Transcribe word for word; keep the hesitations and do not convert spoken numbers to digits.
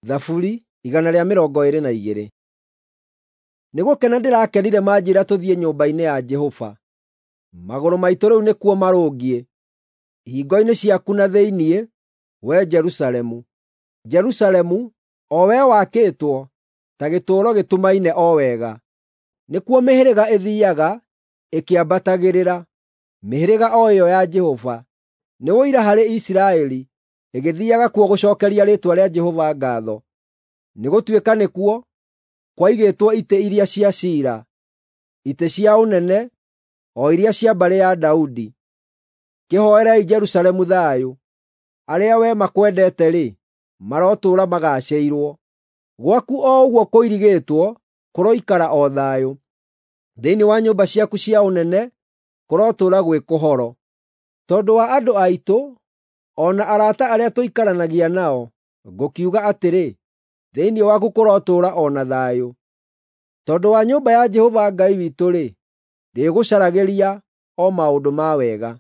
Thaburi igana rĩa mĩrongo ĩĩrĩ na igĩrĩ. Nĩ gũkena ndĩrakenire manjĩĩra tũthiĩ nyũmba-inĩ ya Jehova. Magũrũ maitũ rĩu nĩkuo marũngiĩ, ihingo-inĩ ciaku na thĩinĩ, wee Jerusalemu. Jerusalemu, o wee wakĩtwo ta gĩtũũro gĩtumaine o wega, nĩkuo mĩhĩrĩga ĩthiiaga ĩkĩambatagĩrĩra, mĩhĩrĩga o ĩyo ya Jehova. Nĩ ũira harĩ Isiraeli, ĩgĩthiiaga kuo gũcookeria rĩĩtwa rĩa Jehova ngaatho, nĩgũtuĩka nĩkuo kwaigĩtwo itĩ iria cia ciira, itĩ cia ũnene, o iria cia mbarĩ ya Daudi. Kĩhooerei Jerusalemu thayũ. Arĩa wee makwendete-rĩ, marotũũra magaacĩirwo. Gwaku o ũguo kũirigĩtwo kũroikara o thayũ; thĩinĩ wa nyũmba ciaku cia ũnene kũrotũũra gwĩ kũhoro. Tondũ wa andũ aitũ, o na arata arĩa tũikaranagia nao, ngũkiuga atĩrĩ, thĩinĩ waku kũrotũũra o na thayũ. Tondũ wa nyũmba ya Jehova Ngai witũ-rĩ, ndĩĩgũcaragĩria o maũndũ ma wega.